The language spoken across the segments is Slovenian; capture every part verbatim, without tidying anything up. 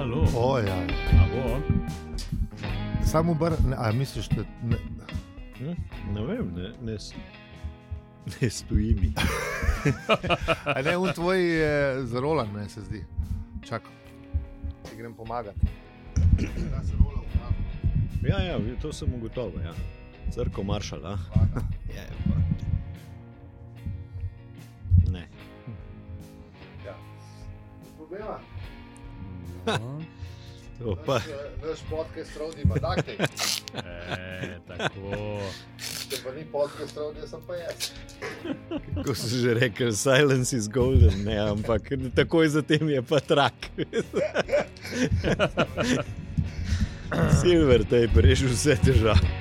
Halo. O, ja. Samo bar, ne, a misliš, da ne, Ne, ne vem, ne, ne, ne stoji mi. a ne, on tvoj je zarolan, meni se zdi. Čakaj, ti grem pomagati. Da se rola v glavo. Ja, ja, to sem ugotovil, ja. Crko maršal, a? Je, pa. Ne. Ja. Problema? To pa. Naš, naš podcast Rodi ima dakte. E, tako. Če pa ni podcast Rodi, sem pa jaz. Kako so že rekel, silence is golden, ne, ampak takoj zatem je pa trak. Silver tape reši vse težave.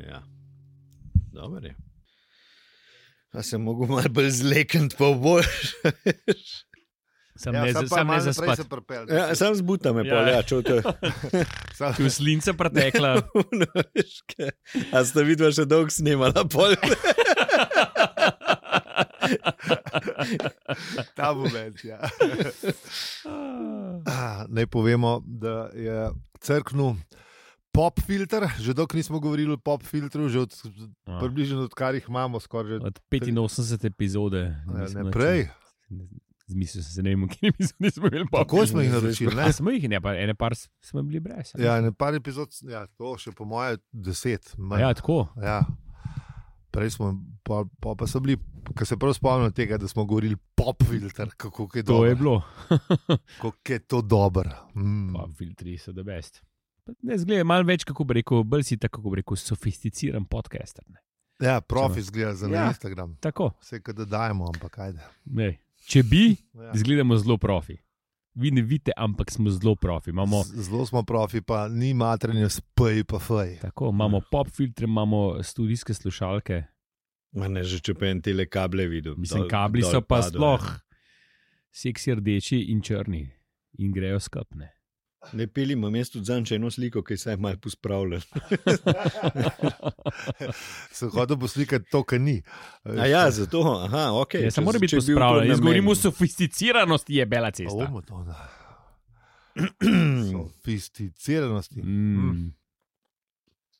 Ja, dobro je. A sem mogel malo bolj zlekniti, pa boš. Sam Ja, ne, sam pa sam ne malo naprej zaspat. se pripelj. Ja, sam zbuta me Ja. pol, ja, čuj to. Tu je slinca pretekla. No, veš, kaj. A sta vidva še dolgo snemala pol? Ta moment, ja. Ah, Naj povemo, da je crknil pop filter, že dolgo nismo govorili o pop filtru, že od, A. približno odkar jih imamo skoraj že Od petinosemdesete epizode. ne, Mislim, ne prej. Zmislil sem se, ne vem, v kateri epizodi smo imeli pop. Tako smo jih naročili, ne? A smo jih, ne, pa ene par s- smo bili brez. Ja, ne par epizod, ja, to še po moje deset. manj. ja, tako. Ja. Prej smo, pa, pa, pa so bili, ko se prav spomnim tega, da smo govorili pop filter, kako je To je dobro. bilo. Kako je to dobro. Mm. Pa filtri so the best. Pa Ne, zgleda malo več, kako bi rekel, bolj si tako, kako bi rekel, sofisticiran podcaster. Ne. Ja, profi zgleda za Ja. na Instagram. Tako. Vse, kaj da dajemo, ampak ajde. Ne. Če bi, Ja. izgledamo zelo profi. Vi ne vidite, ampak smo zelo profi. Imamo, Z- Zelo smo profi, pa ni matranje spej pa fej. tako, imamo pop filtre, imamo studijske slušalke. Ma ne, že če pa en tele kable videl. Mislim, dol- kabli dol so pa padel, sploh seksi rdeči in črni in grejo skupne. Ne peli, imam jaz tudi zanj eno sliko, ki se je malo pospravljal. Sem hodil poslikati to, kar ni. A ja, zato, aha, ok. Ja, če- se mora biti če bi bil to pospravljen. Jaz namen. govorim o sofisticiranosti, je bela cesta. Omo to, da. Sofisticiranosti. Mm.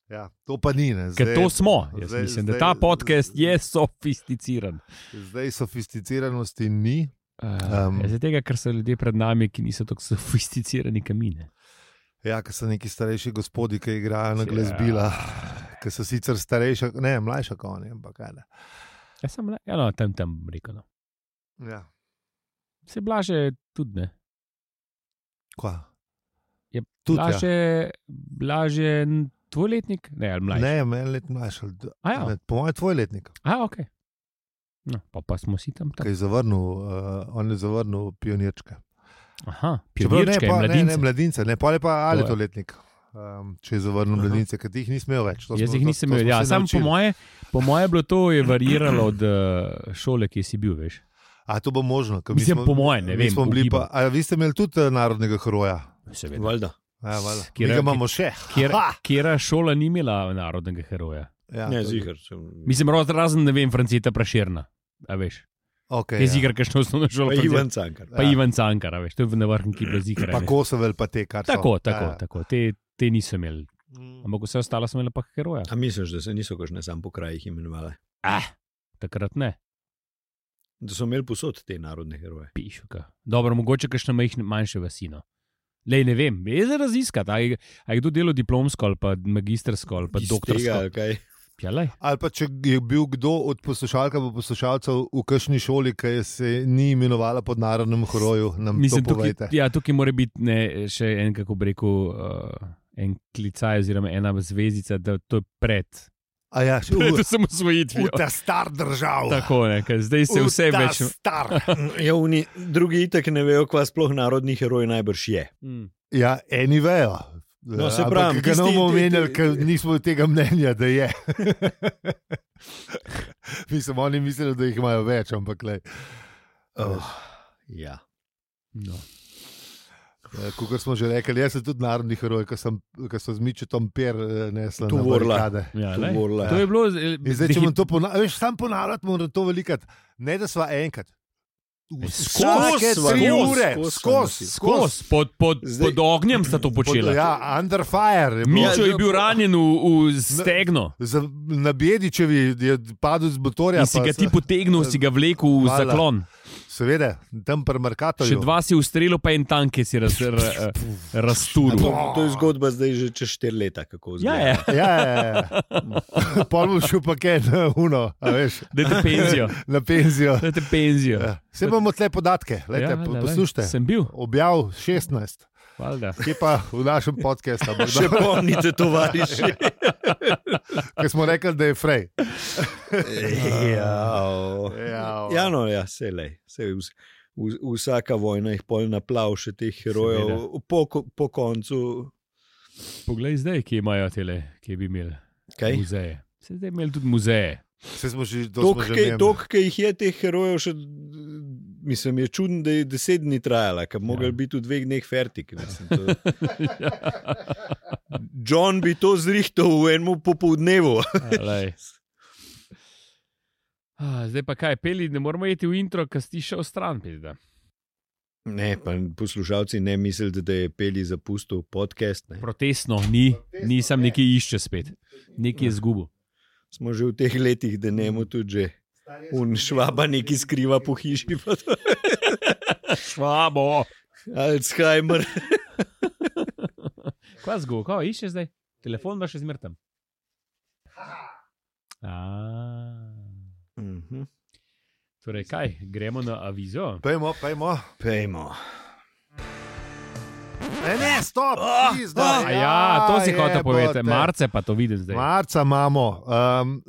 Ja, to pa ni. Ne. Ker Zdaj, to smo. Jaz zdaj- mislim, da zdaj- ta podcast je sofisticiran. Zdaj sofisticiranosti ni. Uh, Um. um, Zaradi tega, ker so ljudje pred nami, ki niso tako sofisticirani kamine. Ja, ker so neki starejši gospodi, ki igrajo na Ja. glasbila, ki so sicer starejši, ne, mlajša kot oni, ampak kaj ne. Jaz sem le, ja, no, tam tam rekel. No. Ja, Se blaže tudi ne. kva? Je Tudi, ja. blaže, blaže n- tvoj letnik? Ne, ali mlajši. Ne, meni let mlajši. ali d- A ja. ne, Po mojem, tvoj letnik, A, ok. No, pa, pa smo si tam ki tako. je zavrnil, uh, on je zavrnil pionirčke. Aha, Čeprav ne, pionirčke, pa, ne, mladince. ne, mladince, ne, pa je pa ali To to je. letnik. Um, če je zavrnil Aha. mladince, ker ti jih nisem imel več. To Jaz smo- jih to- nisem to imel. smo Ja, se sam po naučili. moje, po moje je bilo to je variralo od uh, šole, ki si bil, veš. A to bo možno. ker mi Mislim, smo- po moje, ne mi vem, smo bili ugibam. Pa, a vi ste imeli tudi eh, narodnega heroja? Seveda. Valjda. Ja, valjda. Mi Kjera- ga imamo še. Kjer, Ha! kjera šola ni imela narodnega heroja? Ja, Ne, to- ziher. Mislim, raz- razen, ne vem, Franceta Prašerna. A veš, Okay, je ja. zigar, kakšno osnovno šolo. Pa Franceta- Ivan Cankar. Pa Ja. Ivan Cankar, a veš, to je na vrhunki bila zigar. Pa Kosovel, pa te, kar so. Tako, tako, Ja, ja. tako. Te, te niso imeli. Mm. Ampak vse ostalo so imeli pa heroja. A misliš, da se niso kakšne sam po krajih imenovali? Ah, takrat ne. Da so imeli posod te narodne heroje. Pišuka. Dobro, mogoče kakšne majhne, manjše vasino. Lej, ne vem, je za raziskati, a je, a je kdo delal diplomsko ali pa magistrsko ali pa Iz tega, doktorsko. ali kaj? Ja, lej. Ali pa če je bil kdo od poslušalk ali poslušalcev v kakšni šoli, ki se ni imenovala pod narodnem heroju, nam Mislim, to tukaj, povejte. ja, tukaj mora biti ne, še en, kako bi rekel, uh, en klicaj oziroma ena zvezdica, da to je pred. A ja, še Pred v, osamosvojitvijo. v ta star držav. Tako, ne, ker zdaj se V vse ta več. Star. Ja, oni, drugi itak ne vejo, kva sploh narodni heroj najbrž je. Mm. Ja, eni vejo. No, se Ampak pravim, ga ne tisti- bomo ti- omenjali, ti- ker nismo tega mnenja, da je. Mislim, oni mislijo, da jih imajo več, ampak le. Oh, ja. No. Kot smo že rekli, jaz sem tudi narodni heroj, ki sem, sem z Mičetom Per nesla na barikade. Ja, Tuvorla. to je bilo... In zdaj, če bom to ponavljal, veš, sam ponavljati moram to velikrat. Ne, da sva enkrat. Vsake sva, tri skozi, ure, skozi, skozi, Skos, pod, pod, Zdaj- pod ognjem sta to počela. Ja, under fire. je bilo. Mičo je bil ranjen v, v stegno. Za- Na Bjedičevi je padel z motorja. In si pa ga se- ti potegnil, si ga vlekel v Hvala. zaklon. Seveda, tam pri Merkatorju. Še dva si ustrelil, pa en tank, ki si raz, ra, razturil. To, to je zgodba zdaj že čez štiri leta, kako Ja, zgleda. je. Ja, ja, ja. Pol bom šel pa kaj na uno, a veš, Dajte penzijo. na penzijo. Dajte penzijo. Ja. Vse imamo tle podatke, lejte, Ja, po- lej, lej. poslušajte. Sem bil. Objav šestnajst, Valjda. kje pa v našem podkastu, Še pomnite, tovariši. ki smo rekli, da je frej. ja, Ja, ja, no, ja, se lej. Se vs, v, vsaka vojna jih pol naplav še teh herojev po, ko- po koncu. Poglej zdaj, kje imajo tele, kje bi imeli Kaj? muzeje. Se zdaj imeli tudi muzeje. Vse smo že, to smo že imeli. Tok, ki jih je teh herojev še, mislim, je čudno, da je deset dni trajala, ker bi Ja. mogli biti v dveh dneh fertik. Mislim, to... John bi to zrihtal v enem popoldnevu. Lej. Ah, zdaj pa kaj, peli, ne moramo iti v intro, ker si šel stran, pizda. Ne, pa poslušalci ne mislite, da je Peli zapustil podcast. Ne. Protestno, ni, nisem nekaj išče spet. Nekaj je zgubil. Smo že v teh letih, da ne mu tudi že un švaba neki skriva po hiši. pa to. Švabo. Alzheimer. Kaj zgubil, kaj išče zdaj? Telefon pa še zmrtem. Mhm. Torej, kaj, gremo na avizo? Pejmo, pejmo. Pejmo. Ne, ne, stop! Ah, pizda, ah, A ja, to si hotel jebote. povedati. Marce pa to vidim zdaj. Marca imamo. Um,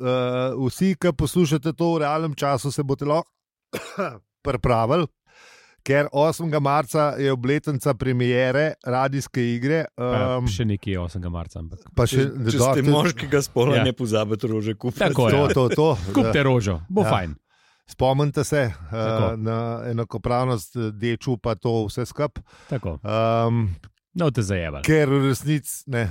uh, vsi, ki poslušate to v realnem času, se boste lahko pripravili, ker osmega marca je obletnica premiere radijske igre. Pa Um, še nekje osmega marca. Ampak. pa še, Če do- ste tudi- moškega spola, Ja. ne pozabite rože kupiti. Tako je. To, to, to. Kupte rožo, bo Ja. fajn. Spomnite se Tako. uh, na enakopravnost deču, pa to vse skup. Tako. Um, No, te zajebali. ker v resnici ne.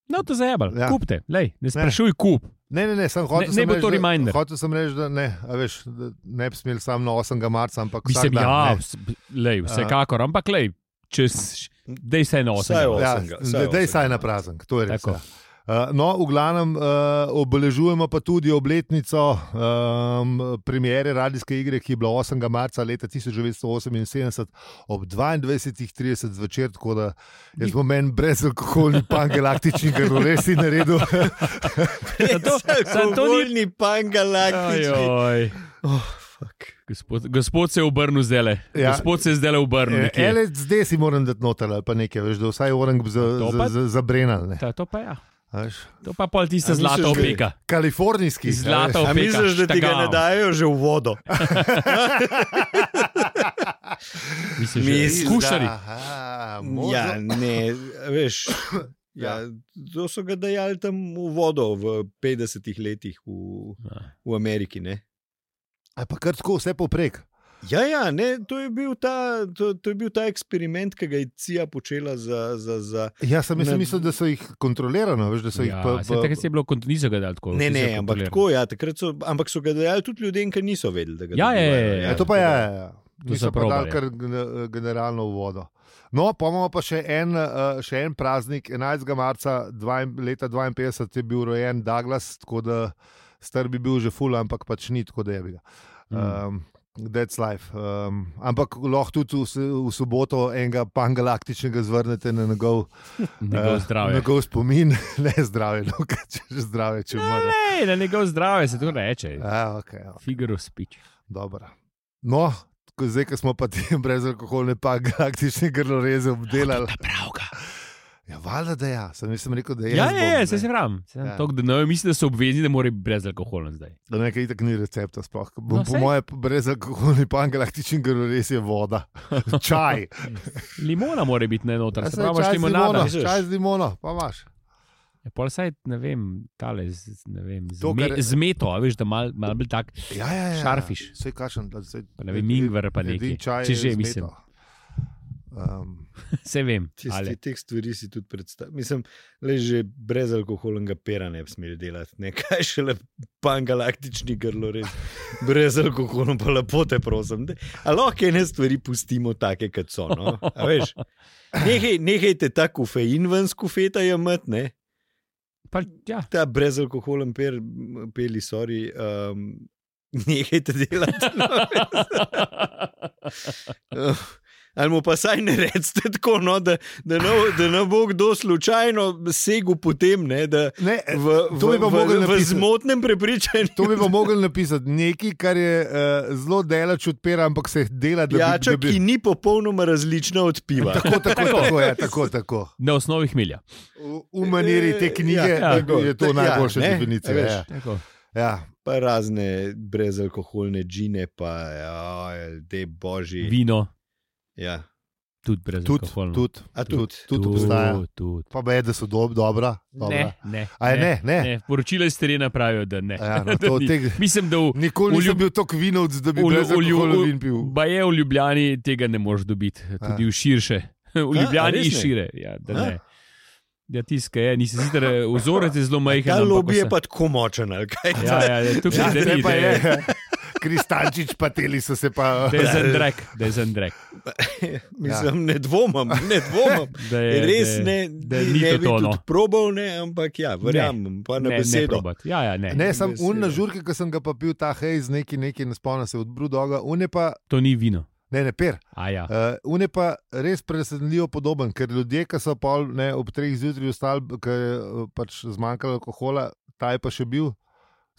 No, te zajebali. Ja. Kupte, lej, ne sprašuj, kup. Ne, ne, ne, sem hotel Ne- ne sem bo reči, to da- reminder. Hotel sem reči, da ne, a veš, da ne bi smeli samo na osmega marca, ampak vsak Mislim, dan. ja, ne. vs- lej, vsekakor, ampak lej, čez, dej se na Vsaj osem. osem. Ja, Osmega, vsaj da je osmega. saj na praznik, to je res. Tako. Ja. Uh, no, v glavnem uh, obeležujemo pa tudi obletnico um, premiere radijske igre, ki je bila osmega marca leta tisoč devetsto oseminsedemdeset ob dvaindvajsetih trideset zvečer, tako da jaz bom meni brezalkoholni pangalaktični, ker res si naredil. Alkoholni pangalaktični. Ajoj. Oh, fuck. Gospod, gospod se je obrnil zdaj. Ja. Gospod se je zdaj obrnil. nekje. Ele, zdaj si moram dati noter ali pa nekaj, veš, da vsaj orang za, To za, pa- za, za brenal. Ta, to pa ja. Veš. To pa pol tista A misliš, zlata da- opeka. Kalifornijski. Zlata A opeka. misliš, da ti ga štagao. ne dajo že v vodo? Misliš, Mi- že skušari. Ja, ne, veš. Ja, to so ga dajali tam v vodo v petdesetih letih v, Ja. v Ameriki. Ne? A pa kar tako vse poprek. Ja, ja, ne, to, je bil ta, to, to je bil ta eksperiment, ki ga je C I A počela za. za, za Ja, sem Ne- mislil, da so jih kontrolirano, veš, da so jih Ja, pa, saj takrat je bilo, kont- niso ga dali tako. ne, vsi ne, so ampak kontrolirali. tako, ja, takrat so, ampak so ga dajali tudi ljudem, ki niso vedeli, da ga Ja, ja, ja, dobivajo, ja. Ja, to pa je. tako Ja, da- ja. To Niso so pa dali probali. kar gen- generalno v vodo. No, pa imamo pa še en, uh, še en praznik, enajstega marca dva, leta dvainpetdeset je bil rojen Douglas, tako da star bi bil že ful, ampak pač ni tako, da je bil. Um, That's life. Um, ampak lahko tudi v, s- v soboto enega pangalaktičnega zvrnete na njegov, Njegov eh, zdravje. njegov spomin, ne zdravje, no, kaj če že zdravje, če umre. Ne, na njegov zdravje se to reče. Ja, okay, ja. Figure of speech. Dobro. No, ko zdaj, ko smo pa ti brezalkoholne pangalaktične grloreze obdelali. Pravga. Ja, valjda, da ja. Sem, nisem rekel, da je. Ja, jaz ja, bom, ja, ne. se se pravim. Ja. To, da ne mislim, da so obvezni, da mora biti brezalkoholen zdaj. Da nekaj itak ni recepta sploh. Bom, No, po saj. moje brezalkoholni pangalaktični grlorez je voda. Čaj. Limona mora biti ne noter, Ja, se saj, pravi, čaj z limonada. limono, misliš? čaj z limono, pa imaš. Ja, pol saj, ne vem, tale, z, ne vem, z, To, me, kar- z meto, a veš, da mal, mal bolj tak, Ja, ja, ja. Šarfiš. Vse kašem. pa ne vem, ingver pa nekaj. Če že, mislim. Um, Se vem. Tisti, teh stvari si tudi predstavljam. Mislim, le že brez alkoholnega pera ne bi smeli delati. Ne? Kaj še le pangalaktični grlo, res. Brez alkohola pa lepo te prosim. A lahko ene stvari pustimo take, kot so. No? A veš, nehaj, nehajte ta kofein ven z kofeta jemati, ne? Pa, ja. Ta brez alkoholen per, peli, sorry, um, nehajte delati. No? Ali mu pa saj ne recite tako, no, da, da, ne, da ne bo kdo slučajno segel potem, ne, da ne, v, v, v, v zmotnem prepričanju. To bi pa mogli napisati. Nekaj, kar je uh, zelo delač od pera, ampak se dela, da Pijača, bi... Ja, bi... ki ni popolnoma različna od piva. Tako, tako, tako, je, tako, tako. Na osnovi hmelja. V, v maniri te knjige ja, tako, je to najboljša ja, definicija. Ja, tako. Ja. Pa razne brezalkoholne džine, pa ja, te božji. Vino. Ja. Tudi brez alkohola. Tudi, tudi, tudi, tudi obstaja. Tud. Pa be, da so dob, dobra. dobra. Ne, ne. A je ne, ne. ne. Poročila iz terena pravijo, da ne. Ja, no, to, da teg... Mislim, da v, nikoli nisem ljub... bil tako vinovc, da bi brez alkohola vin pil. Ba je v Ljubljani tega ne moreš dobiti, tudi a. v širše. V Ljubljani in šire. Ja, da ne. Ja, tiska je, nisi sicer vzorec je zelo majhen. Ta lobby je pa tako močen, ali kaj? Ja, ja, tukaj ja, ne pa je. Kristančič pa teli so se pa... Da je zandrek, da je zandrek. Mislim, ja. ne dvomam, ne dvomam. Da je, res ne, da je, ne bi tudi probal, ne, ampak ja, verjamem, pa na ne, besedo. Ne, ja, ja, ne. Ne, sem un na žurke, ko sem ga pa pil ta hej z neki, neki, ne spomnim se, od Brudoga, un je pa... To ni vino. Ne, ne, per. Ja. Uh, un je pa res presenljivo podoben, ker ljudje, ki so pol, ne, ob treh zjutraj ostali, ker je pač zmanjkalo alkohola, ta je pa še bil,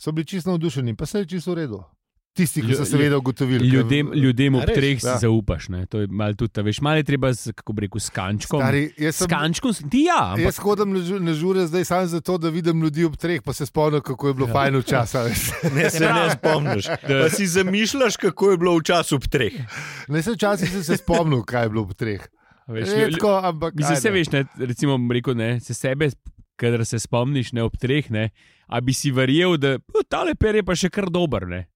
so bili čisto navdušeni, pa se je čisto v redu. Tisti, ki so seveda ugotovili. Ljudem, ljudem ob treh si ja. zaupaš. Ne? To je malo tudi, veš, malo je treba, z, kako bi rekel, s kančkom. Stari, sem, s kančkom, ti ja. Ampak... Jaz hodim na žure zdaj samo zato, da vidim ljudi ob treh, pa se spomnim, kako je bilo ja. fajn v časa. Ne se ne spomniš. Pa si zamišljaš, kako je bilo v času ob treh. Ne se včasih sem se spomnil, kaj je bilo ob treh. Veš, Redko, ampak... Mislim, se veš, ne, recimo, rekel, ne, se sebe, kadar se spomniš, ne, ob treh, ne, a bi si verjel, da tale per je pa še kar dober, ne.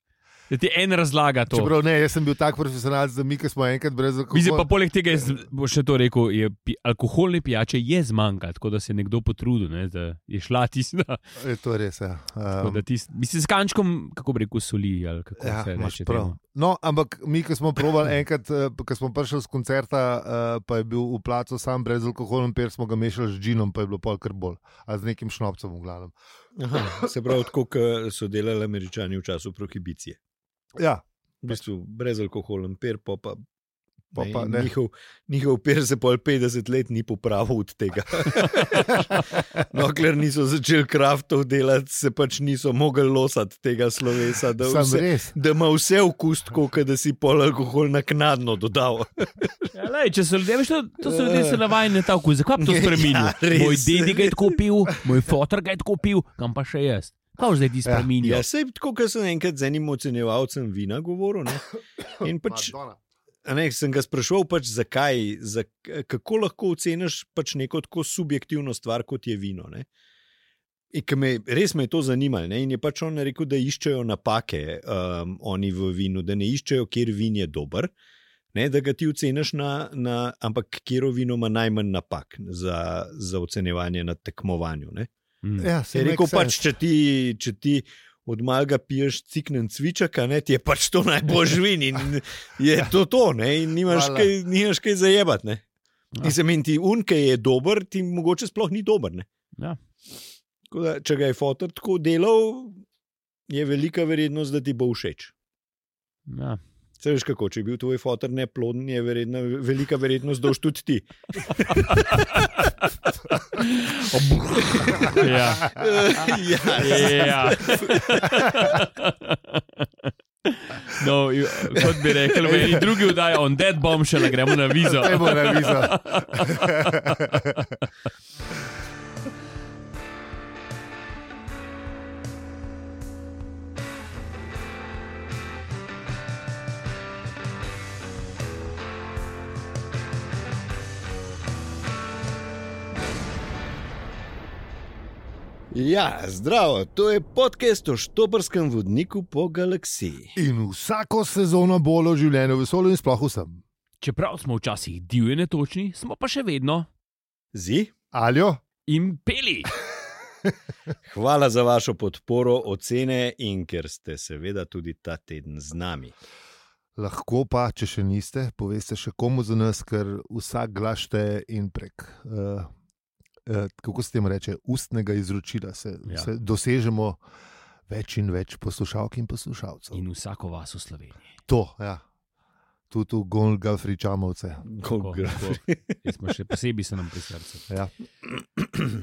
Da ti en razlaga to. Čeprav ne, jaz sem bil tak profesionalc, da mi, ki smo enkrat brez alkohola. Mislim pa poleg tega, bo še to rekel, je, alkoholne pijače je zmanjkalo, tako da se je nekdo potrudil, ne, da je šla tista. Je to res, ja. Um, tis, mislim, s kančkom, kako bi rekel, soli, ali kako ja, se reče. No, ampak mi, ki smo probali enkrat, ko smo prišli z koncerta, pa je bil v placu sam brez alkoholom per, smo ga mešali z džinom, pa je bilo pol kar bolj, a z nekim šnopcem v glavnem. Aha, se pravi, tako, kot so delali Američani v času prohibicije. Ja, v bistvu brez alkoholen per, pa, pa, pa, pa ne, njihov, njihov per se pol petdeset let ni popravil od tega. No, ker niso začeli kraftov delati, se pač niso mogli losati tega slovesa, da, vse, da ima vse okus, kot da si pol alkohol naknadno dodal. Ja, lej, če so ljudje, to, to so ljudje se navajeni na ta okus, zakaj bi to spremenil? Ja, moj dedi ga je tako pil, moj fotor ga je tako pil, kam pa še jaz? Kaj zdaj ti spremenijo? Ja, sej tako, ker sem enkrat z enim ocenjevalcem vina govoril, ne? In pač, ne, sem ga spraševal, pač, zakaj, za, kako lahko oceniš pač neko tako subjektivno stvar, kot je vino. Ne? In me, res me je to zanimalo. Ne? In je pač on rekel, da iščejo napake um, oni v vinu, da ne iščejo, kjer vin je dober, ne? Da ga ti oceniš na, na, ampak kjer vino ima najmanj napak za, za ocenjevanje na tekmovanju. Ne? Ja, je rekel pač, če ti, če ti od malega piješ ciknen cvičaka, ne, ti je pač to najboljši vin in je to to, ne, in nimaš kaj, nimaš kaj zajebati, ne. Ja. In se meni ti un, ki je dober, ti mogoče sploh ni dober, ne. Ja. Da, če ga je fotor tako delal, je velika verjetnost, da ti bo všeč. Ja. Se veš kako, če je bil tvoj fotor neploden, je verjetno, velika verjetnost, da boš tudi ti. Ja. Ja. Ja. No, kot bi rekel, meni drugi vdaja on dead bombshell, gremo na vizo. Gremo na vizo. Ja, zdravo, to je podcast o štoprskem vodniku po galaksiji. In vsako sezono bolj o življenju v vesolju in sploh vsem. Čeprav smo včasih divje netočni, smo pa še vedno Zi? Aljo? in peli. Hvala za vašo podporo, ocene in ker ste seveda tudi ta teden z nami. Lahko pa, če še niste, poveste še komu za nas, ker vsak glas šteje in prek, uh, uh, kako se temu reče, ustnega izročila se, Ja. se dosežemo več in več poslušalk in poslušalcev. In vsako vas v Sloveniji. To, ja. Tudi v Golgafri Čamovce. Jaz smo še posebej se nam pri srcu. Ja.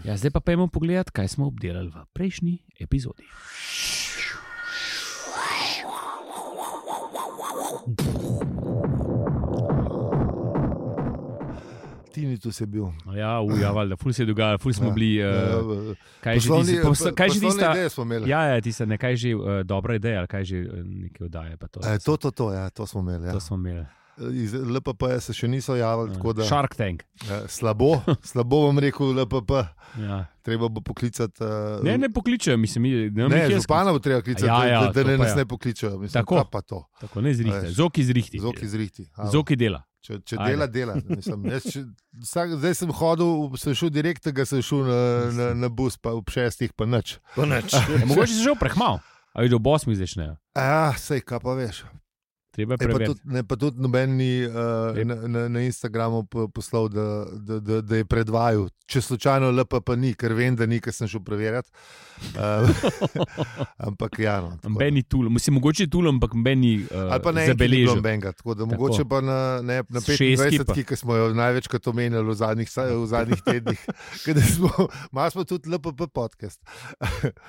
Ja, zdaj pa pojmo pogledat, kaj smo obdelali v prejšnji epizodi. Tini tu si bil. Ja, uja, valjda, ful se je dogajalo, ful smo Ja. bili. Uh, kaj že Poslovni- tista, pos, kaj že poslovne tista, ideje smo imeli. ja, ja, tista, ne, kaj že uh, dobra ideja, ali kaj že uh, neke oddaje. Pa to, E, to, to, to, ja, to smo imeli. Ja. to smo imeli. Iz L P P se še niso javili, tako da Shark Tank. eh, slabo, slabo vam rekel L P P. Ja. Treba bo poklicati. Uh, Ne, ne pokličejo, mislim, mi- ne, ne ne župana bo treba klicati, Ja, ja, da, da to ne pa nas ja. ne pokličejo. Mislim, Tako. kaj pa to. Tako ne zrihte, Veš. zoki zrihti. Zok izrihti. Alo. Zoki dela. Če, če Ajde. dela, dela. Mislim, jaz, če, vsak, zdaj sem hodil, sem šel direkt, tega sem šel na, na, na bus, pa ob šestih, pa nič. Pa nič. Ja, mogoče se že prehmal, ali do bosmi začnejo. Ja, sej, kaj pa veš. Treba je E, pa, preveriti. tudi, ne, pa tudi noben ni uh, Lep. na, na, na Instagramu po- poslal, da, da, da, da je predvajal. Če slučajno L P P ni, ker vem, da ni, ker sem šel preverjati. Uh, ampak ja, no. tako da. Ben ni tul, mislim, mogoče je tul, ampak ben ni uh, Ali pa ne en zabeležil. benga, tako da Tako. mogoče pa na, ne, na S šestki pa. petindvajsetki, ki smo jo največkrat omenjali v zadnjih, sa- v zadnjih tednih, kada smo, malo smo tudi L P P podcast.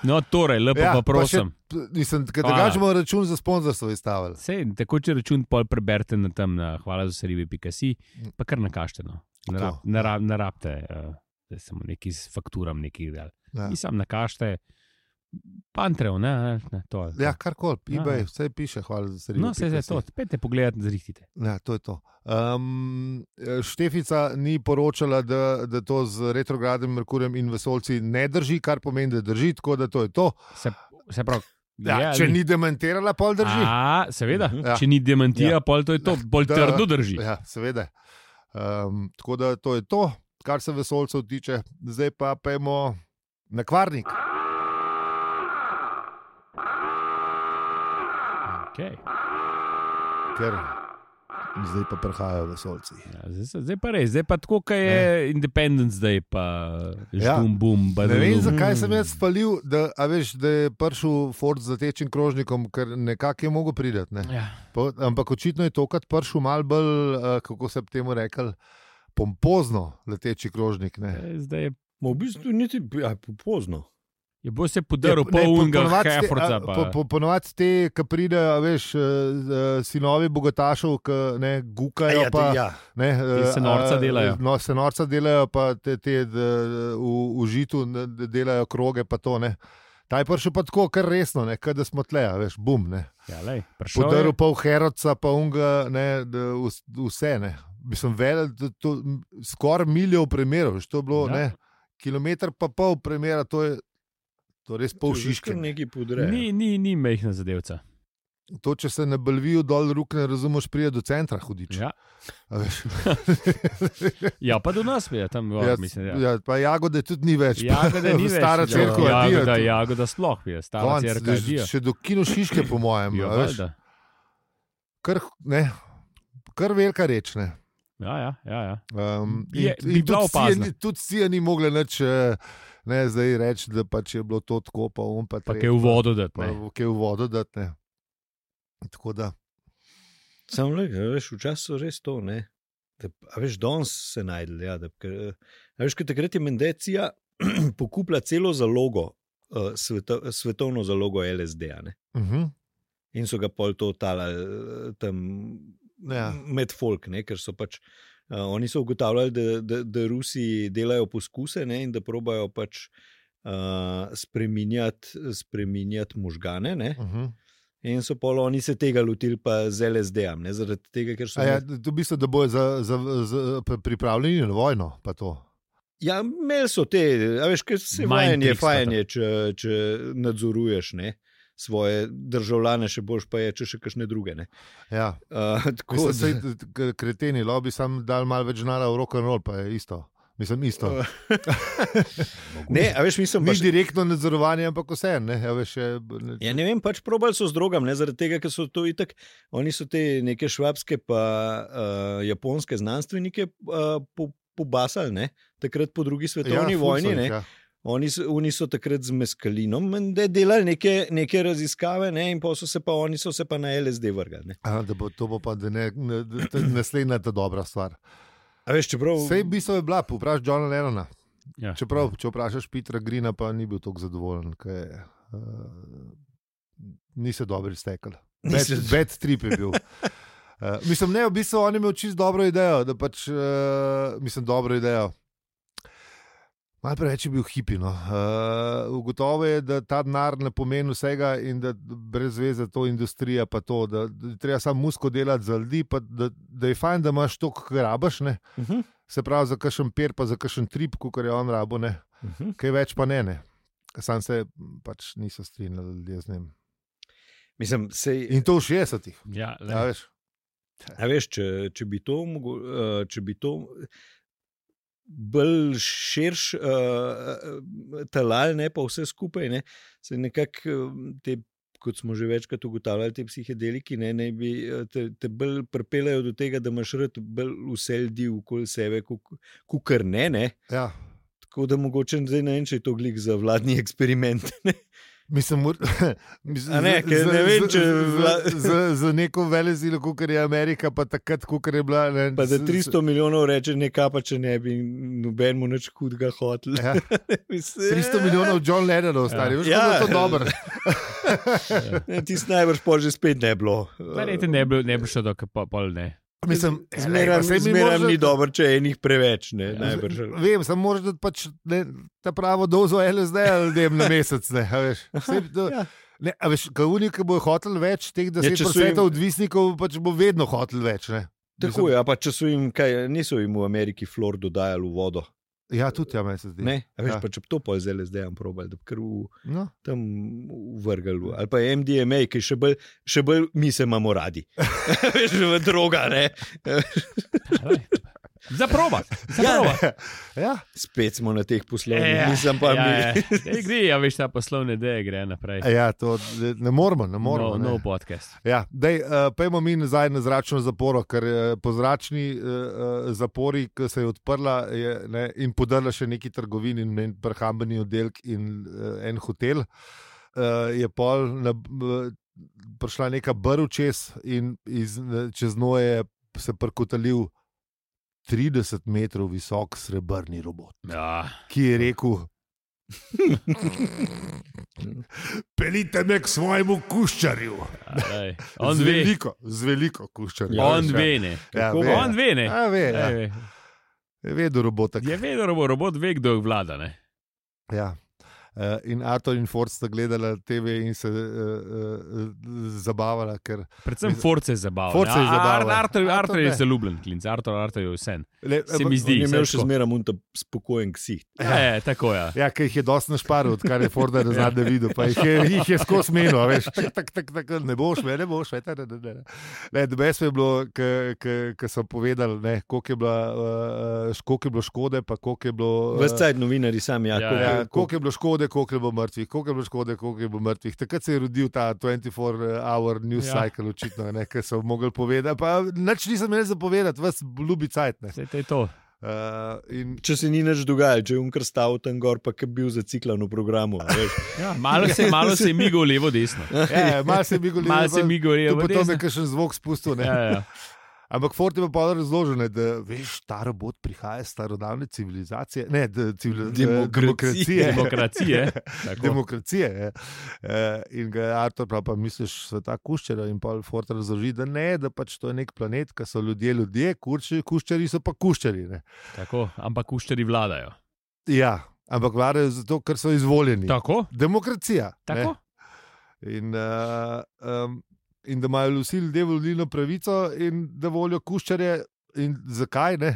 No, torej, lepo Ja, pa pa še- prosim. Mislim, da Hvala. smo račun za sponzorstvo izstavili. Sej, tako če račun pol preberite na tam, na hvala za serivi pika si, pa kar nakažite. No. Ne To, rab- ne rab- ne rabite, uh, da samo neki s fakturam nekih del. Ja. In sam nakažite, pantrev, ne, ne, ne to. je to. Ja, karkoli, Ja, eBay, ja. vse piše, hvala za serijo. No, se je to, pete pogledati, zrihtite. Ja, to je to. Um, Štefica ni poročala, da, da to z retrogradnim Merkurjem in vesolci ne drži, kar pomeni, da drži, tako da to je to. Se, se pravi, Ja, je, če ali- ni demantirala, pol drži. A, seveda, Ja. če ni demantija, Ja. pol to je to, bolj Da. trdo drži. Ja, seveda. Um, tako da to je to, kar se vesolcev tiče. Zdaj pa pojmo na Kvarnik. Okay. Ker zdaj pa prihajajo vesolci. Ja, zdaj, se- zdaj pa res, zdaj pa tako, kot je Independence, zdaj pa Ja. žbum, bum, Ne vem, badum. zakaj sem jaz spalil, da, a veš, da je prišel Ford z zatečim krožnikom, ker nekako je mogel priti. Ne? Ja. Pa- Ampak očitno je tokrat prišel malo bolj, uh, kako se bi temu rekel, pompozno leteči krožnik. Ne? Eh, Zdaj je, Ma v bistvu niti ja, pozno. je bo se podaril Ne, pol po- unga ponovadi te- Hefforca. a, pa- po- po- Ponovadi te, ki pridejo, veš, eh, eh, sinovi bogatašov, ki ne gukajo. Ja, pa, te, ja. ne, Ti se norca eh, delajo. No, se norca delajo, pa te, te d, v, v žitu ne, d- delajo kroge. Pa to, ne. Ta je prišel pa tako, kar resno, ne, kad da smo tle, a veš, bum. Ne. Ja, lej, prišel je. Podaril pol Herodca, pa unga, ne, d, vs- vse. Ne. Mislim, velel, da to skoraj milijo primerov, veš, to je bilo, Ja. ne, kilometr pa pol primera, to je, to je res pol šiške. Nekaj podre. Ni, ni, ni mehna zadevca. To, če se ne balvijo dol rok, ne razumeš, prije do centra hodič. Ja. A veš. ja, pa do nas je tam, Ja, ja, mislim. Ja. ja, pa jagode tudi ni več. Jagode ni več. Stara ja, cerkev, jagoda, adijo. jagoda sploh je, stara Konc, cerkev. da- adijo. Še do kino šiške, po mojem. Ja, a veš. valjda. Kar, ne, kar velika reč. Ne. Ja, ja, ja, ja. Um, Je- in bi in bila tudi Sia opazna. ni- tudi Sia ni mogla nič eh, ne, zdaj reči, da pač je bilo to tako, pa on pa Pa tretje, kaj v vodo dati. Pa, ne. pa kaj v vodo dati. ne. Tako da. Sam le, veš, včasih so res to, ne. Da, a veš, danes se najdel, ja, da, ker, a veš, ker takrat je Mendecija pokupila celo zalogo, uh, sveto, svetovno zalogo L S D-ja, ne. Uh -huh. In so ga pol to talali tam Ja. med folk, ne, ker so pač, uh, oni so ugotavljali, da, da, da Rusi delajo poskuse, ne, in da probajo pač uh, spreminjati, spreminjati možgane, ne. Uh -huh. In so pol oni se tega lotili pa z L S D-jem, ne, zaradi tega, ker so... A ja, to v bistvu, da bojo za, za, za, pripravljeni na vojno. Pa to. Ja, imeli so te, a veš, ker se Mind vajanje, tricks pa fajanje, če, če nadzoruješ, ne. svoje državljane, še boljš pa je, če še kakšne druge. Ne? Ja. Uh, tako Mislim, da kreteni lobi sam dal malo več denarja v rock and roll, pa je isto. Mislim, isto. ne, a veš, mislim, Ni pač, direktno nadzorovanje, ampak vse. Ne, ja, veš, je, ne, ja, ne vem, pač probali so z drogam, ne, zaradi tega, ker so to itak, oni so te neke švabske pa uh, japonske znanstvenike uh, po, pobasali, ne, takrat po drugi svetovni ja, vojni, ful so ne. jih, ja. Oni so, oni so takrat z meskalinom delali neke, neke raziskave, ne, in pa so se pa oni so se pa na L S D vrgali. A, da bo, to bo pa da ne, ne, da naslednja ta dobra stvar. A veš, čeprav... Sej v bistvu je bila, vprašaj Johna Lennona. Ja. Čeprav, če vprašaš Petera Greena, pa ni bil tako zadovoljen, ker uh, ni se dobro iztekel. Bad, bad trip je bil. Uh, mislim, ne, v bistvu on je imel čisto dobro idejo, da pač, uh, mislim, dobro idejo. Malo preveč je bil hipi. No. Uh, ugotovo je, da ta denar ne pomeni vsega in da brez veze to industrija, pa to, da, da treba samo musko delati za ljudi, pa da, da je fajn, da imaš to, kar rabaš. Uh -huh. Se pravi, za kakšen per, pa za kakšen trip, kot je on rabo, ne. Uh -huh. Kaj več pa ne. ne. Sam se pač niso strinjali ljudje z njim. Mislim, sej... In to v šestdesetih. Ja, A veš? A veš, če, če bi to, uh, če bi to bolj širš uh, talal, ne pa vse skupaj, ne, se nekako te, kot smo že večkrat ugotavljali, te psihedeliki, ne, ne bi te, te bolj pripeljajo do tega, da imaš rad bolj vse ljudi okoli sebe, kukar ne, ne. Ja. Tako da mogoče zdaj ne vem, če je to glik za vladni eksperiment, ne. Mislim, mislim, A ne, ker ne vem, če za, za, za neko velezilo, kot je Amerika, pa takrat, kot je bila. Ne, pa da tristo milijonov reče, nekaj pa če ne bi noben mu nič hudega hotel. Ja. tristo milijonov John Lennonov, stari, veš, Ja. kako je to dobro. Ja. Tisti najbrž pol že spet ne bilo. Verjete, ne bi ne bi šlo do pol, pol ne. Mislim, Zmeram, saj mi zmeram moraš- ni dobro, če je enih preveč, ne, najbrž. Vem, samo moraš dati pač ne, ta pravo dozo L S D ljudem na mesec. Ne, a veš, Vse, to, Ja. ne, a veš, kavuni, ki bojo hotel več, teh Ja, deset če so procent jim- odvisnikov pač bo vedno hotel več. Ne. Tako je, a pa če so jim, kaj, niso jim v Ameriki flor dodajali v vodo. Ja, tudi ja, meni se zdi. Ne, a veš, Ja. pa če bi to pol z L S D-jem probali, da bi kar v, No. tam vrgal. Ali pa M D M A, ki še bolj, še bolj mi se imamo radi. Veš, v droga, ne. Za probat. Za probat. Ja, Spet smo na teh poslovnih, Ja, nisem pa ja, mi. ja. Ej, gre, ja, veš, ta poslovne ideje gre naprej. ja, to ne moramo, ne moramo. No, ne. no podcast. Ja, dej, uh, pejmo mi nazaj na zračno zaporo, ker uh, po zračni uh, zapori, ki se je odprla je, ne, in podrla še neki trgovini in en prehrambeni oddelek in uh, en hotel, uh, je pol na, uh, prišla neka brv čez in iz, čez njo je se prkotalil trideset metrov visok srebrni robot, Ja. ki je rekel: Pelite me k svojemu kuščarju. Ej, on z ve. veliko, z veliko kuščarjem. Ja, On veš, ve, ne. Ja, Kako ve. On ve, ne. Ja, ve, ja. Ej, ve. Je vedel robotek. Je vedel, robot, robot ve, kdo vlada, ne. Ja. Uh, in Arthur in Ford sta gledala T V in se uh, uh, zabavala, ker Predvsem Mislim, Force je zabaven. Ford se je Ja, zabaval. Ar- Arthur, Arthur Arthur je ne. zaljubljen klinc, Arthur, Arthur je vsen. le, Se mi zdi. On je imel saj še tako. zmeraj munta spokojen ksih. Ja, je, tako ja. Ja, ker jih je dosti našparil, odkar je Ford na zadnje videl, pa jih je, jih je skozi menil, veš, tak, tak, tak, tak, ne boš, me, ne boš, ne, ne, ne, ne. Ne, debes je bilo, ko so povedali, ne, koliko je, bila, uh, koliko je bilo škode, pa koliko je bilo... Uh, Ves cajt novinari sami, ja, Ja, koliko- Ja, koliko- koliko je bilo škode, koliko je bilo mrtvih, koliko je bilo škode, koliko je bilo mrtvih. Takrat se je rodil ta dvajset-štiri hour news Ja. cycle, očitno, ne, ki so mogli povedati. Pa nič nisem imel za povedati, vas ljubi cajt. Ne. Saj to je to. Uh, in Če se ni nič dogajalo, če je unkar stal tam gor, pa je bil zaciklan v programu. a veš. Ja, malo se, malo se je migal levo, desno. ja, malo se je bil Malo se je migal levo, Potem je desno. kakšen zvok spustil. Ne. Ja, ja. Ampak Ford je pa razložil, ne, da veš, ta robot prihaja iz starodavne civilizacije, ne, da, civil, Demokracije. demokracije. Demokracije. Tako. Demokracije. Je. Uh, in ga je Artur prav, pa misliš, sveta kuščera in pa Ford razloži, da ne, da pač to je nek planet, ki so ljudje ljudje, kurči, kuščari so pa kuščari. Ne. Tako, ampak kušteri vladajo. Ja, ampak vladajo zato, ker so izvoljeni. Tako? Demokracija. Tako? Ne. In, uh, um, in da imajo vsi ljudje volilno pravico in da volijo kuščarje. In zakaj ne?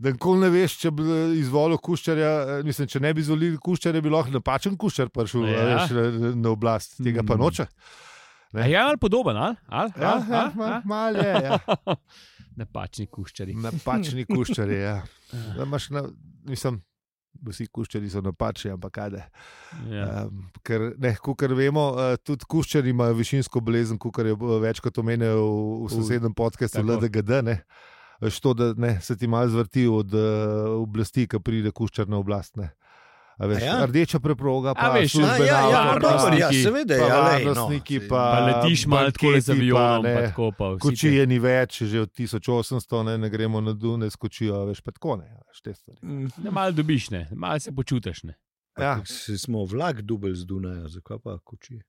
da nikoli ne veš, če bi izvolil Kuščarja, mislim, če ne bi izvolil Kuščarja, bi lahko napačen Kuščar prišel Ja. veš, na, na oblast, tega pa noče. A je ali podoben, ali? ali? Ja, ali? ja, ali? ma- malo je, ja. Napačni kuščari. Napačni Kuščarji, ja. Da imaš na, mislim, vsi Kuščarji so napačni, ampak kajde. Ja. Um, ker, ne, kukor vemo, uh, tudi Kuščarji imajo višinsko bolezen, kukor je uh, večkrat omenil v, v sosednjem podcastu tako. L D G D, ne. Veš to, da ne, se ti malo zvrti od uh, oblasti, ko pride Kuščar na oblast. Ne. A veš, A ja? Rdeča preproga, pa A veš, službena ja, ja, avta, dobro, pa- ja, seveda, pa ja, lej, no. varnostniki, Saj- pa, Pa letiš malo tako banketi, z avionom, pa, pa ne, tako pa vsi. kočije ni več, že od tisoč osemsto, ne, ne gremo na Dune s kočijo, veš, pa tako ne, veš, te stvari. Mm. te- Ne, malo dobiš, ne, malo se počutiš. Ne. Ja, Si smo vlak dubelj z Dunaja, zakaj pa kočije?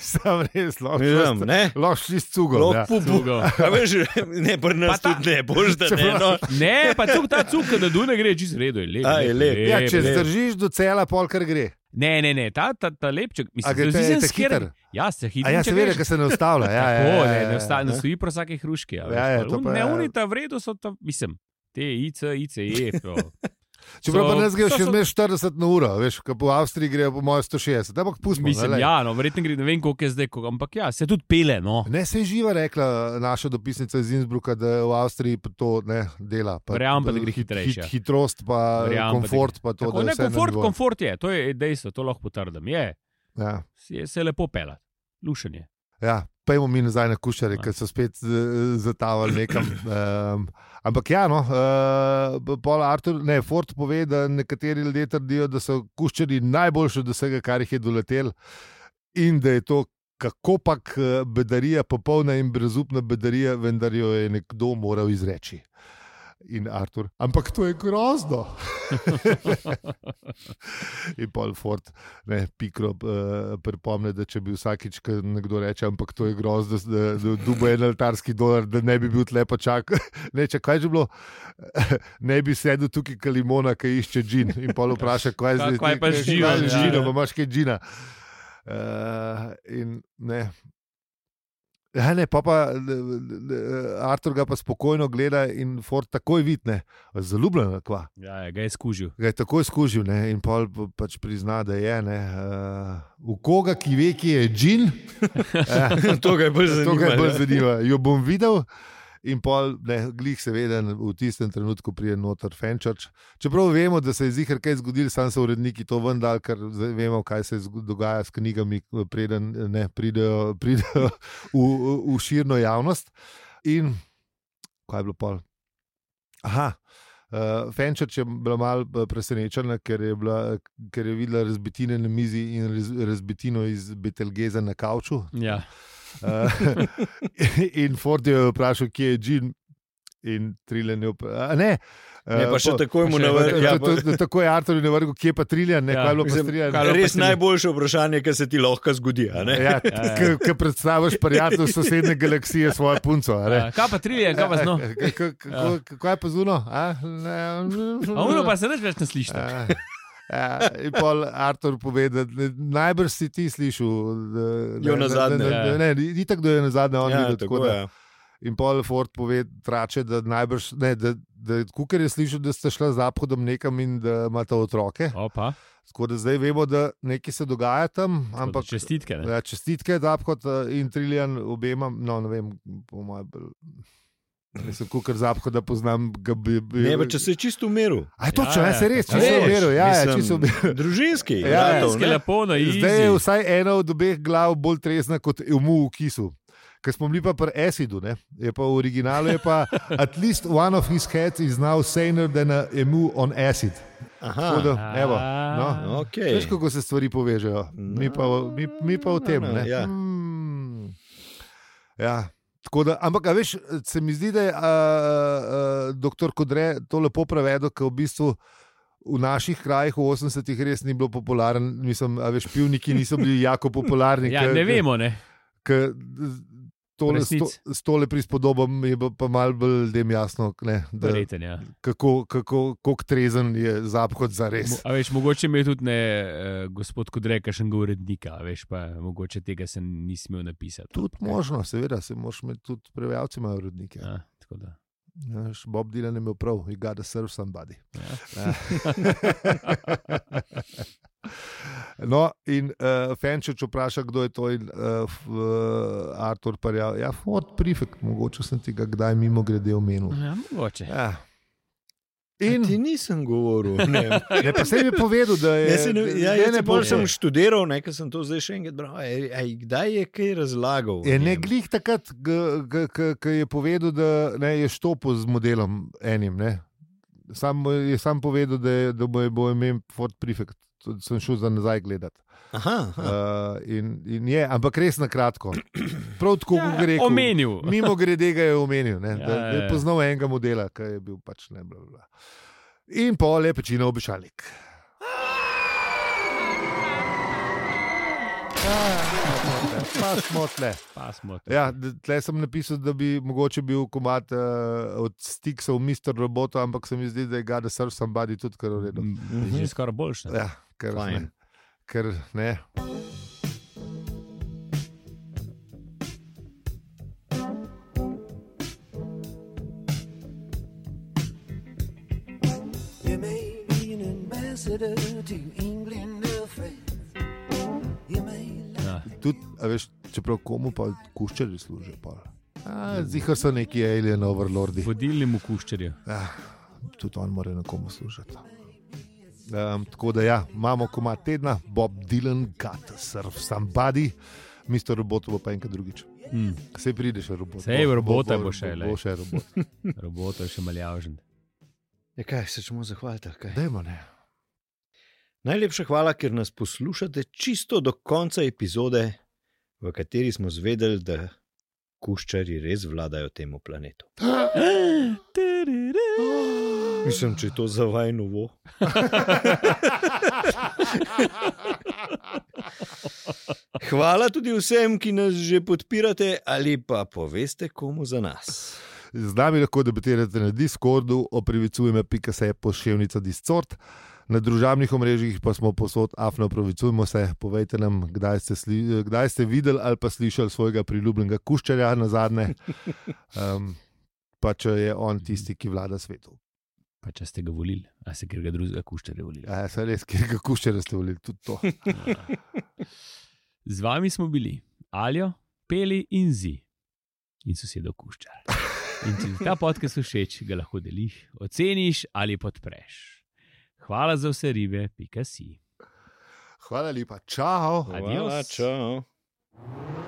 sam res, lahko Vem, ne? lahko šli s cugom. Lahko Ja. pupu. Cugo. A veš, ne, pri nas Pa ta- tudi ne, boš da ne. No. Ne, pa cuk, ta cuk, da Dune gre, čist redo, je lep. A, je lep. Ja, če lep. zdržiš do cela, pol kar gre. Ne, ne, ne, ta, ta, ta lepček, A mislim, gre te, zdi se te sker- hiter? Ja, se hitro. A ja, seveda, ker se ne ustavlja. Ja, ja, Tako, ja, ne, ja, ne, osta, ne ja. stoji pro vsake hruške. Ja, ja, to pa ne, ja. oni ta v redu so, ta, mislim, te I C, I C E. to. Čeprav So- pa nas gre to še so- zmeraj štirideset na uro, veš, ko po Avstriji gre po mojem sto šestdeset, ampak pustimo. Mislim, ne, lej. ja, no, verjetno gre, ne vem, koliko je zdaj, koliko, ampak ja, se tudi pele, no. Ne, se je živa rekla naša dopisnica iz Innsbrucka, da v Avstriji pa to ne dela. Pa, Verjamem pa, da gre hit- hitrejše. hit- Hitrost, pa Verjamem pa, da komfort, pa to, Tako, da je ne, vse na komfort, nivoju. komfort je, to je dejstvo, to lahko potrdim. Je, Ja. je se lepo pela, lušenje. Ja, pojmo mi nazaj na Kuščare, Ja. ker so spet uh, zatavali nekam. Um, ampak ja, no, uh, Paul Arthur, ne, Ford pove, da nekateri ljudje trdijo, da so Kuščari najboljši od vsega, kar jih je doletel, in da je to kako pak eh, bedarija, popolna in brezupna bedarija, vendar jo je nekdo moral izreči. In Artur, ampak to je grozno. In Paul Ford, ne, pikro, uh, pripomne, da če bi vsakič, ko nekdo reče, ampak to je grozno, da, da dubo en altarski dolar, da ne bi bil tlepo čak. Ne, če kaj že bilo, ne bi sedel tukaj kalimona, ki išče džin. In Paul vpraša, kaj je zdaj. Kaj pa z džinom, Kaj je z ja, džinom, ja. imaš kaj džina. Uh, in ne. Ja, ne, pa, pa Artur ga pa spokojno gleda in Ford takoj vidne, zaljubljen, kva. Ja, ja, ga je skužil. Ga je takoj skužil, ne, in pol pa- pač prizna, da je. Ne, uh, v koga, ki ve, ki je džin, uh, To ga je bolj to ga je bolj zanimivo. zanimivo. Jo bom videl. In pol, ne, glih seveda v tistem trenutku pride noter Fenčarč. Čeprav vemo, da se je zihar kaj zgodilo, sam so uredniki to vendar, ker zdaj vemo, kaj se zgo- dogaja s knjigami, preden ne, pridejo, pridejo v, v širno javnost. In kaj je bilo pol? Aha. Uh, Fenčarč je bila malo presenečena, ker je, bila, ker je videla razbitine na mizi in raz, razbitino iz Betelgeza na kavču. Ja. Uh, in Ford je vprašal, kje je džin, in Triljan je vprašal. Ne, Ne, pa še takoj mu še- navrgel. Ja, Ja, to, to, tako je Artur navrgel, kje pa Triljan, ne, Ja, kaj je bilo pa mislim, s Triljanom. kaj- Res pa se- najboljše vprašanje, kar se ti lahko zgodi. a ne? Ja, Ja, ja. ki predstaviš prijatelj sosednje galaksije svojo punco. a ne. Ja, kaj pa triljen, kaj pa zno? K- k- kako- Kako je pa zuno? A A uno pa se neč več ne sliši. Ja, ja, in pol Artur pove, da ne- najbrž si ti slišal. da- Jo ne- nazadnje, ne- ne- ja. Ne, ni tako, da je na zadnje on Ja, videl. tako, tako da- ja. In pol Ford pove, trače, da najbrž, ne, da, da Kuker je slišal, da sta šla z zahodom nekam in da imata otroke. Opa, Tako da zdaj vemo, da nekaj se dogaja tam, ampak ampak čestitke. Ne? ja, čestitke Zapad in Triljan obema, no ne vem, po mojem, nisem Kuker Zapad, poznam ga bi. bi Ne, pa če se je čisto umiril. A je točno, Ja, ja, ja, se res, tako čisto je. umiril, ja, ja, Mislim, čisto umiril. Družinski. Ja, bratov, Ženske ne? lepo na izi. Zdaj je vsaj ena od obeh glav bolj trezna kot Emu v kisu. Ker smo bili pa pri Acidu, ne? Je pa v originalu je pa at least one of his heads is now saner than a emu on acid. Tako da, Aha, evo, no. okay. Veš, kako se stvari povežejo. Mi pa, mi, mi pa v tem. no, Ne? ja. Mm. Ja. Tako da, ampak, a veš, se mi zdi, da je uh, uh, doktor Kodre to lepo prevedel, ker v bistvu v naših krajih v osemdesetih res ni bilo popularen. Mislim, a veš, pivniki niso bili jako popularni. Ja, ke- ne ke- vemo, ne. Ker tole, Resnic. sto, s tole prispodobom je bilo pa malo bolj ljudem jasno, ne, da, Verjeten, ja. kako, kako, kako trezen je Zapad za res. Mo- A veš, mogoče mi je tudi ne, uh, gospod Kodreka, še ga urednika, a veš, pa mogoče tega se nisi smel napisati. Tudi Ampak, možno, seveda, se moraš imeti tudi prevajalci, imajo urednike. Ja, tako da. Bob Dylan je imel prav, you gotta serve somebody. Ja. No, in uh, Fenčič vpraša, kdo je to, in uh, uh, Artur parja, ja, Ford Prefect, mogoče sem ti ga kdaj mimo grede omenil. Ja, mogoče. Ja. In ti nisem govoril. Ne, ne pa sem mi povedal, da je. Ja, ne, ja, ne, ja, ne, bolj sem študiral, nekaj sem to zdaj še enkrat bral. Ej, ej, kdaj je kaj razlagal? Je ne glih takrat, ko je povedal, da ne, je štopil z modelom enim. Ne. Sam je sam povedal, da, je, da bo, bo imel Ford Prefect. Tudi sem šel za nazaj gledati. Aha, aha. Uh, in, in je, ampak res na kratko. Prav tako, Ja, kot je rekel. omenil. Mimo grede ga je omenil, ne, Ja, da, da je ja, ja. poznal enega modela, ki je bil pač ne. Bla, bla. In pol je pečina obešalnik. Pa smo tle. Pa smo tu. Ja, d- tle sem napisal, da bi mogoče bil komad uh, od Stiksov mister Roboto, ampak se mi zdi, da je Gotta Serve Somebody tudi kar v redu. Mm, Že skoraj boljše. Ja, ker Fajn. ne. Ker ne. You may be an ambassador to England or France. You may Ja. Tudi, a veš, čeprav komu pa kuščari služijo. Zihar so neki alien overlordi. Vodilnemu kuščarju. Ja, tudi on mora nekomu služiti. Um, tako da ja, imamo komad tedna, Bob Dylan, Gotta Serve Somebody, mister Roboto bo pa enkrat drugič. Mm. Sej prideš, robot. Sej, Bo- robota bo, bo še, Bo, lej. bo še robot. Robot je še maljavžen. Ja, kaj se čemo zahvaliti? Kaj? Dajmo, ne. Najlepša hvala, ker nas poslušate čisto do konca epizode, v kateri smo zvedeli, da kuščari res vladajo temu planetu. Mislim, če je to za vaj novo. Hvala tudi vsem, ki nas že podpirate ali pa poveste komu za nas. Z nami lahko debatirate na Discordu, oprivicujme pika se poševnica Discord. Na družabnih omrežjih pa smo posod afno opravicujmo se. Povejte nam, kdaj ste, sli, kdaj ste videli ali pa slišali svojega priljubljenega kuščarja na zadnje. Um, pa če je on tisti, ki vlada svetu. Pa če ste ga volili, a ste kjer ga drugega kuščarja volili. Ja, se res, kjer ga kuščarja ste volili, tudi to. Z vami smo bili Aljo, Peli in Zi in sosedov kuščar. In če ti ta podcast všeč, ga lahko deliš, oceniš ali podpreš. Hvala za vse ribe, pika si. Hvala lepa, čau. Adios. Hvala, čau.